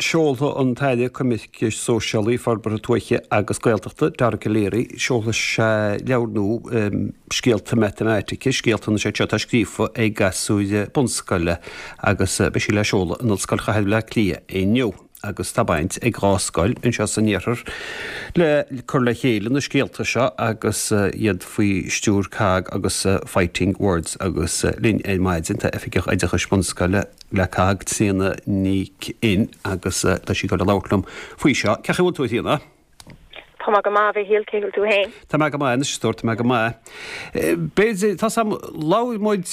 Seolfaidh an tAire Coimirce Sóisialaí, Forbartha Tuaithe agus Gaeltachta, Dara Calleary, seolfaidh sé leabhar nua Scéalta Matamaitice, scéalta anois iad seo atá scríofa ag gasúir bunscoile agus beidh sí le seoladh in Ollscoil Chathair Bhaile Átha Cliath inniu agus tá baint ag 2 scoil anseo san iarthar le cur le chéile na scéalta seo agus iad faoi stiúir COGG agus Fighting Words agus linn ar maidin tá Oifigeach Oideachais Bunscoile le COGG, Tríona Nic Fhinn, agus tá sí ag dul a labhairt liom faoi seo. Cén chaoi a bhfuil tú, a Thríona? Tá mé go maith, a Mhichíl, cén chaoi a bhfuil tú féin? Tá mé go maith anois, a stór, tá mé go maith. B'fhéidir, tá 's a'm, labhair muid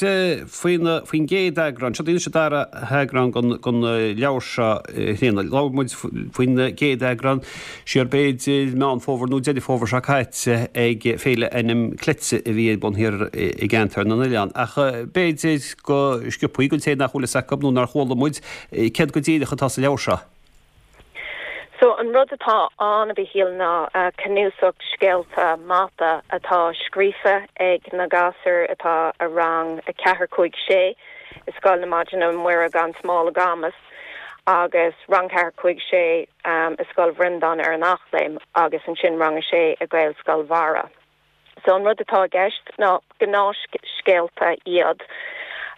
faoin, faoin gcéad eagrán, seo anois an dara heagrán den, den leabhar seo, a Thríona, labhair muid faoin gcéad eagrán siar b'fhéidir Meán Fómhair nó Deireadh Fómhair seo caite ag Féile Ainm Cleite a bhí ar bun thiar i gCeantar na nOileán. Ach b'fhéidir go sciobthaí don té nach bhfuil fhios acu nó nár chuala muid, céard go díreach atá sa leabhar seo? So an rud atá ann, a Mhichíl, ná cnuasach scéalta mata atá scríofa ag na gasúir atá i rang 4, 5, 6 i Scoil na Maighdine Muire gan Smál i gCamus agus rang 4, 5, 6 i Scoil Bhreandáin ar an Eachléim agus ansin rang 6 i Gaelscoil Bharra. So an rud atá i gceist ná gnáthscéalta iad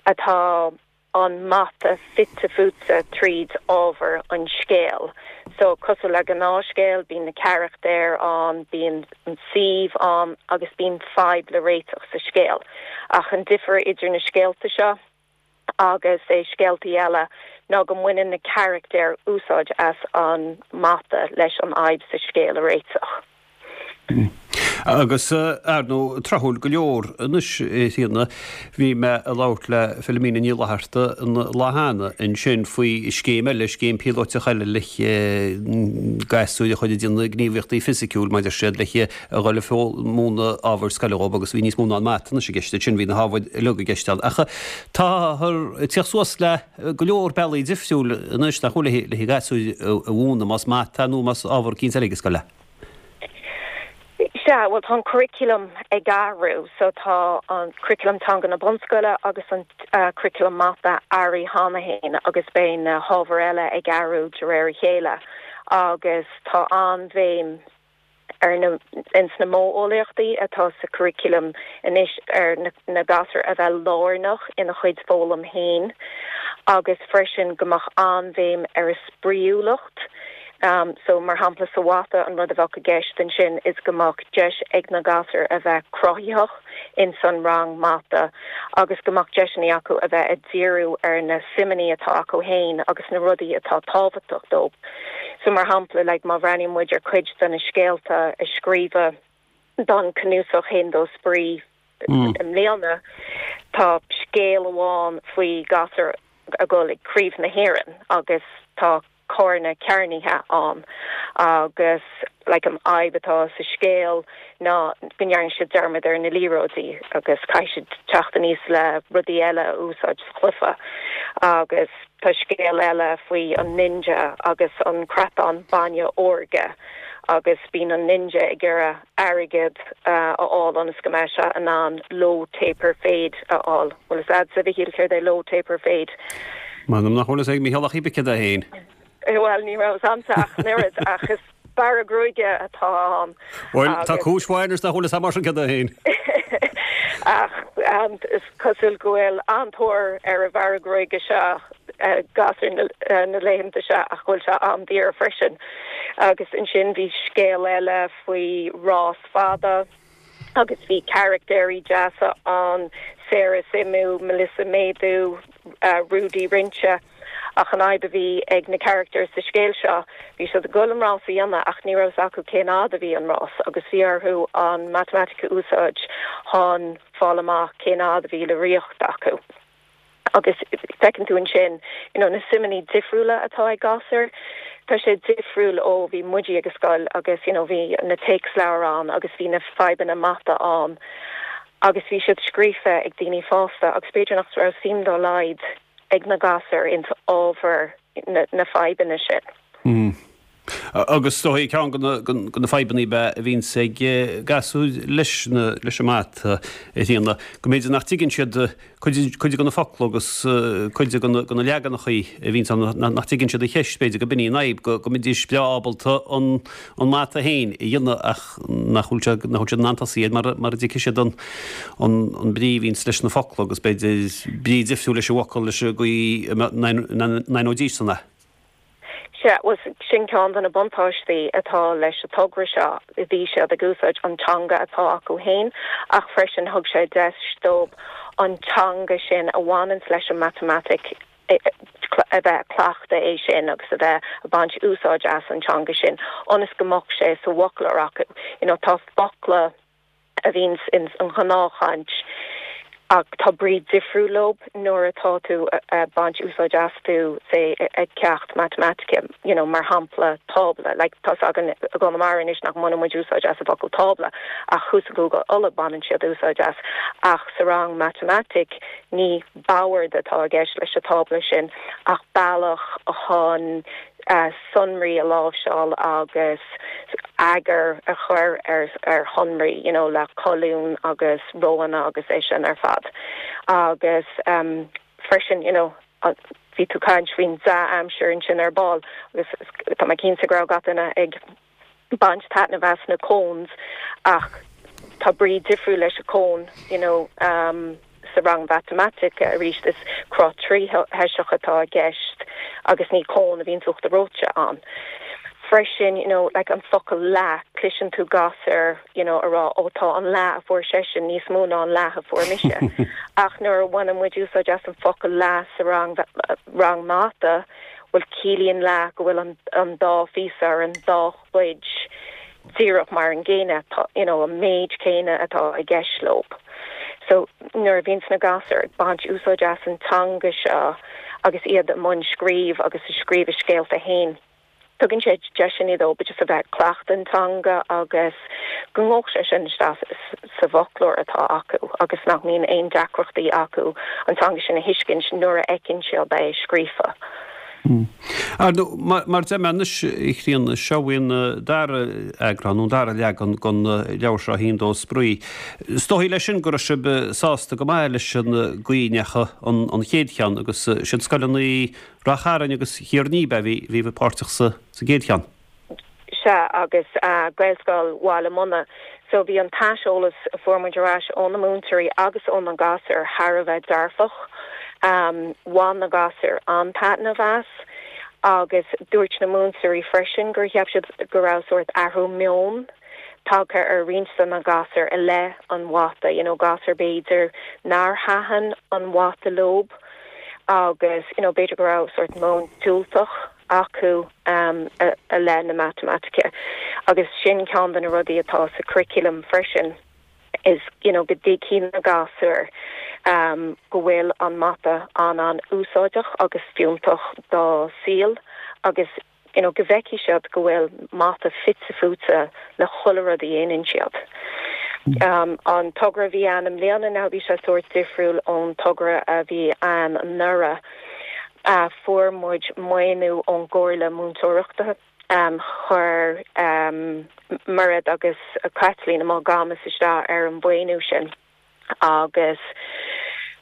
atá an mata fite fuaite tríd ábhar an scéil. So cosúil le gnáthscéal bíonn na carachtair ann, bíonn an suíomh ann agus bíonn fadhb le réiteach sa scéal. Ach an difear idir na scéalta seo agus é scéaltaí eile ná go mbaineann na carachtair úsáid as an mata leis an fhadhb sa scéal a réiteach. Agus, ar ndóigh, tráthúil go leor anois, a Thríona, bhí mé ag labhairt le Philomena Ní Fhlatharta an lá cheana ansin faoi scéim eile, scéim píolóiteach eile le gasúir a chur ag déanamh gníomhaíochtaí fisiciúil, mar a deir siad, le a dhul ag múineadh ábhair scoile dhóibh agus bhí níos mó ná an mata anois i gceist ansin, bhí na hábhair uilig i gceist ann. Ach táthar ag tíocht suas le go leor bealaí difriúil anois nach bhfuil le na gasúir a mhúineadh, más mata nó más ábhar eicínt eile ag an scoil é. Sea, bhuel tá an curriculum ag athrú so tá an curriculum teanga na bunscoile agus an curriculum mata athraithe cheana féin agus beidh na hábhair eile ag athrú de réir a chéile agus tá an-bhéim ar na ins na modheolaíochtaí atá sa curriculum anois ar na gasúir a bheith lárnach ina chuid foghlaim féin agus freisin go mbeadh an-bhéim ar a spraíúlacht. So mar shampla sa mhata an rud a bheadh i gceist ansin is go mbeadh deis ag na gasúir a bheith cruthaitheach ins an rang mata agus go mbeadh deiseanna acu a bheith ag díriú ar na suimeanna atá acu féin agus na rudaí atá tábhachtach dóibh. So mar shampla, like, má bhreathnaíonn muid ar chuid de na scéalta a scríobhadh don cnuasach Haon Dó Spraoi i mbliana, tá scéal amháin faoi ghasúr ag dul ag Craobh na hÉireann agus tá carna cearnaithe ann agus like an fhadhb atá sa scéal ná go ndearna siad dearmad ar na liathróidí agus caithfidh siad teacht aníos le rudaí eile a úsáid sa chluiche agus Tá scéal eile faoi an ninja agus an creatán bainne órga agus bíonn an ninja ag iarraidh airgead a fháil ionas go mbeidh sé in ann low taper fade a fháil. Bhfuil fhios a'dsa, a Mhichíl, céard é low taper fade? M'anam nach bhfuil fhios ag Mícheál ach cibé céard é féin. Bhuel, ní raibh fhios a'msa ach an oiread, ach is bearradh gruaige atá ann. Bhuel, tá cúis mhaith anois nach bhfuil fhios a'm mar sin céard é féin. Ach is cosúil go bhfuil an-tóir ar an bhearradh gruaige seo ag gasúir na laethanta seo ach go bhfuil sé an-daor freisin. Agus ansin bhí scéal eile faoi rás fada. Agus bhí carachtéirí deasa ann, Sarah Suimiú, Melissa Méadú, Rudy Rince. Ach an fhadhb a bhí ag na carachtair sa scéal seo, bhí siad ag dul an rás a dhéanamh ach ní raibh fhios acu cén fhad a bhí an rás agus bhí orthu an matamaitic a úsáid chun fáil amach cén fhad a bhí le ritheacht acu. Agus feiceann tú ansin you know na suimeanna difriúla atá ag gasúir. Tá sé difriúil ó bhí muide ag an scoil agus you know bhí na téacsleabhair ann agus bhí na fadhbanna mata ann agus bhí siad scríofa ag daoine fásta agus b'fhéidir nach raibh suim dá laghad ag na gasúir ins ábhar na fadhbanna sin. Agus is dóigh ceann de na fadhbanna ab ea a bhíonns ag gasúir leis leis an mata, a Thríona, go mb'fhéidir nach dtuigeann siad cuid de na focla agus cuid de na leaganachaí a bhíonns ann, nach dtuigeann siad an cheist, b'fhéidir go b'in í an fhadhb, go mbeidís breá ábalta an mata féin a dhéanamh ach nach bhfuil siad nach bhfuil siad in ann tosaí air mara dtuigfidh siad an an brí a bhíonns leis na focla agus b'fhéidir brí difriúil leis an bhfocal leis an gcaoi a n-aithneoidís san é. Sea, bhuel, sin ceann de na buntáistí atá leis an togra seo. Bhí siad ag úsáid an teanga atá acu féin ach freisin thug sé deis dóibh an teanga sin a bhaineanns leis an matamaitic a bheith ag cleachtadh é sin agus a bheith ag baint úsáid as an teanga sin ionas go mbeadh sé sa bhfoclóir acu. You know, tá focla. a bhíonns ins an ghnáthchaint ach tá brí difriúil leob nuair atá tú ag baint úsáid astu, say, ag ceacht matamaitice, you know, mar shampla tábla, like tá's againn i gConamara anois nach mbaineann muid úsáid as an bhfocal tábla ach thuas i gCúige Uladh baineann siad úsáid as ach sa rang matamaitic ní bord atá i gceist leis an tábla sin ach bealach chun sonraí a láimhseáil agus eagar a chur ar shonraí, you know, le colúin agus róanna agus é sin ar fad. Agus freisin, you know, bhí tú caint faoin dea-aimsir ansin ar ball agus tá mé cinnte go raibh gach duine ag baint taitneamh as na cones ach tá brí difriúil leis an cone you know sa rang mhatamaitice arís is cruth tríthoiseach atá i gceist agus ní cón a bhíonns uachtar reoite ann. Freisin you know like an focal leath cloiseann tú gasúir you know a rá ó tá an leath a fuair seisean níos mó ná an leath a fuair mise ach nuair a bhaineann muid úsáid as an focal leath sa rang rang mata bhuel ciallaíonn leath go bhfuil an dá phíosa ar an dá chuid díreach mar an gcéanna, tá, you know, an méid céanna atá i gceist leob. So nuair a bhíonns na gasúir ag baint úsáid as an teanga seo agus iad i mbun scríobh agus ag scríobh a scéalta fhéin, tugann sé deiseanna dóibh just a bheith ag cleachtadh an teanga agus go ngabhfaidh sé sin isteach sa bhfoclóir atá acu agus nach mbíonn aon deacrachtaí acu an teanga sin a thuiscint nuair a fheiceann siad é scríofa. Ar ndóigh, mar a deir mé anois, a Thríona, seo í an dara eagrán, nó an dara leagan den leabhar seo, 1, 2 Spraoi. Is dóigh leis sin go raibh sibh sásta go maith leis an gcaoi a ndeachaigh an chéad cheann agus siad scoileanna Rath Chairn agus Tír an Fhia a bhí páirteach sa gcéad cheann. Sea, agus Gaelscoil Bhaile Munna. So bhí an t-aiseolas a fuair muid ar ais ó na múinteoirí agus ó na gasúir thar a bheith dearfach. Bhain na gasúir an-taitneamh as agus dúirt na múinteoirí freisin gur cheap siad go raibh sórt athrú meoin tagtha ar roinnt de na gasúir i leith an mhata, you know gasúir b'fhéidir nár thaitin an mhata leob agus you know b'fhéidir go raibh sórt meon diúltach acu i leith na matamaitice agus sin ceann de na rudaí atá sa curriculum freisin is you know go dtuigfidh na gasúir go bhfuil an mata an-an-úsáideach agus fiúntach dá saol agus you know go bhfeicfidh siad go bhfuil mata fite fuaite le chuile rud a dhéanann siad. An togra a bhí ann i mbliana now bhí sé sórt difriúil ón togra a bhí ann anuraidh. Fuair muid maoiniú ón gComhairle Múinteoireachta. Chuir Mairéad agus Caitlín i Maigh Camas isteach ar an mhaoiniú sin. agus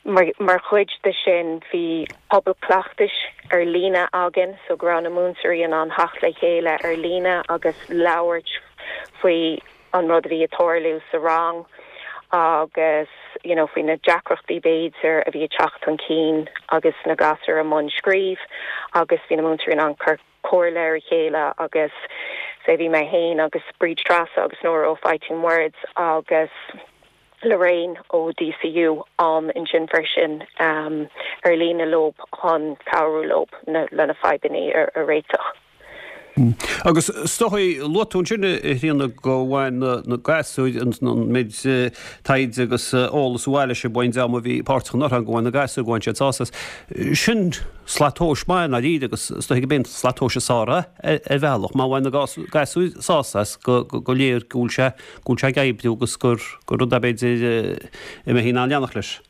mar chuid de sin bhí pobal cleachtais ar líne againn so go raibh na múinteoirí in ann theacht le chéile ar líne agus labhairt faoi an rud a bhí ag tarlú sa rang agus you know faoi na deacrachtaí b'fhéidir a bhí ag teacht chun cinn agus na gasúir i mbun scríobh agus bhí na múinteoirí in ann cur comhairle ar a chéile agus say bhí mé féin agus Bríd Treasa agus Nóra ó Fighting Words agus Lorraine ó DCU ann ansin freisin ar líne leob chun cabhrú leob lena fadhbanna a réiteach. Agus is dóigh, luaigh tú ansin, a Thríona, go bhain na gasúir an méid taighde agus eolas a bhailigh sibh ón dream a bhí páirteach anuraidh, go bhain na gasúir, go bhain siad sásamh as. Sin slat tomhais maith i ndáiríre agus is dóigh gurb é an slat tomhais is fearr é ar bhealach. Má bhain na gasúir sásamh as go léir go bhfuil sé go bhfuil sé ag oibriú agus gur gur rud é b'fhéidir a mbeifí in ann leanacht leis.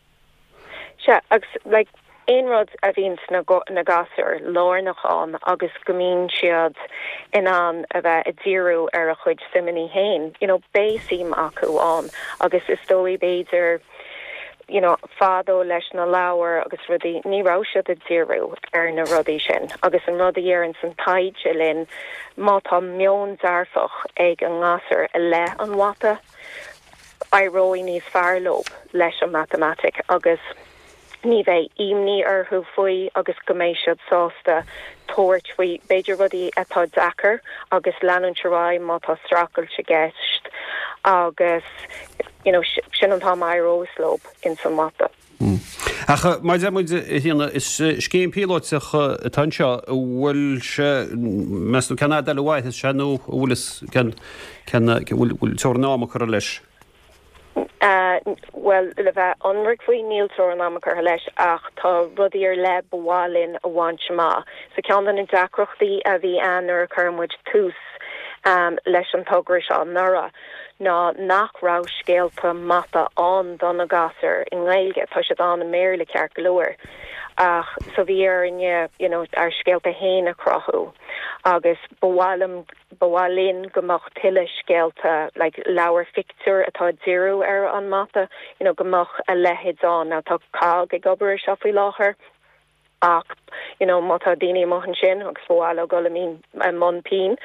Sea, agus like. Aon rud a bhíonns na na gasúir lárnach ann agus go mbíonn siad in ann a bheith ag díriú ar a chuid suimeanna féin, you know, beidh suim acu ann agus is dóigh b'fhéidir, you know, fadó leis na leabhair agus rudaí, ní raibh siad ag díriú ar na rudaí sin agus an rud a dheireanns an taighde linn, má tá meon dearfach ag an ngasúr i leith an mhata, éireoidh níos fearr leo leis an matamaitic agus ní bheidh imní orthu faoi agus go mbeidh siad sásta tabhairt faoi b'fhéidir rudaí atá deacair agus leanúint ar aghaidh má tá streachailt i gceist agus you know sin an t-am a éireos leo ins an mata. Ach mar a deir muid, a Thríona, is scéim phíolótach atá anseo, an bhfuil sé, meas tú cén fhad eile a mhairfeas sé nó an bhfuil fhios cén, cén, bhfuil teorainn ama curtha leis? Bhuel, le bheith ionraic faoi, níl teorainn ama curtha leis ach tá rudaí ar leith ba mhaith linn a bhaint amach. So ceann de na deacrachtaí a bhí ann nuair a chuir muid tús leis an togra seo anuraidh ná nach raibh scéalta mata ann do na gasúir i nGaeilge. Tá siad ann i mBéarla ceart go leor ach so bhí orainne you know ár scéalta féin a chruthú agus ba mhaith liom Ba mhaith linn go mbeadh tuilleadh scéalta, like leabhair phictiúr atá ag díriú ar an mata, you know go mbeadh a leithéid ann. Now tá COGG ag obair ar seo faoi láthair ach you know má tá daoine amuigh ansin agus ba mhaith leo dul i mbun pinn,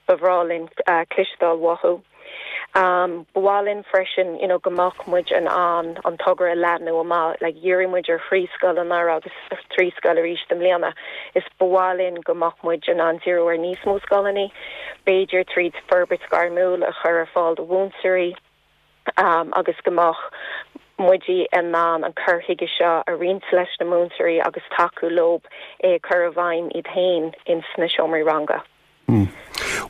ba bhreá linn cloisteáil uathu. Ba mhaith linn freisin you know go mbeadh muid in ann an togra a leathnú amach, like dhírigh muid ar thrí scoil anuraidh agus trí scoil arís i mbliana, is ba mhaith linn go mbeadh muid in ann díriú ar níos mó scoileanna, b'fhéidir tríd forbairt ghairmiúil a chur ar fáil do mhúinteoirí agus go mbeadh muid in ann an cur chuige seo a roinnt leis na múinteoirí agus tacú leo é a chur i bhfeidhm iad féin ins na seomraí ranga.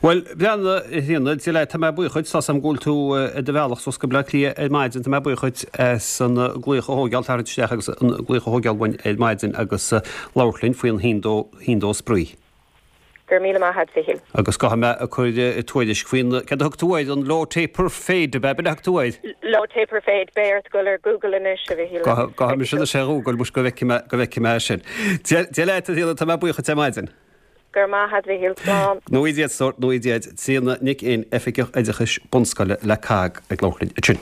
Bhuel, breathnaigh, a Thríona, Dia leat, tá mé buíoch dhuit, tá's agam go bhfuil tú ar do bhealach suas go Bleá Cliath ar maidin, tá mé buíoch dhuit as an glaoch a thóigeáil, tarraingt isteach agus an glaoch a thóigeáil uainn ar maidin agus labhairt linn faoin haon dó, haon dó spraoi. Go raibh míle maith agat, Mhichíl. Agus gabhfaidh mé ag cur tuairisc faoin, céard a thug tú air, an low taper fade, ab ea, b'in a thug tú air? Low taper fade, beidh ort dul ar Google anois, a Mhichíl. Gabhfaidh mise anois ar Google, muis go bhfeicfidh mé, go bhfeicfidh mé sin. Dia leat, a Thríona, tá mé buíoch dhuit ar maidin. Go raibh maith agat, Mhichíl. Slán. Go ngnóthaí Dia duit, a stór, go ngnóthaí Dia duit. Tríona Nic Fhinn, Oifigeach Oideachais Bunscoile le COGG ag labhairt linn ansin.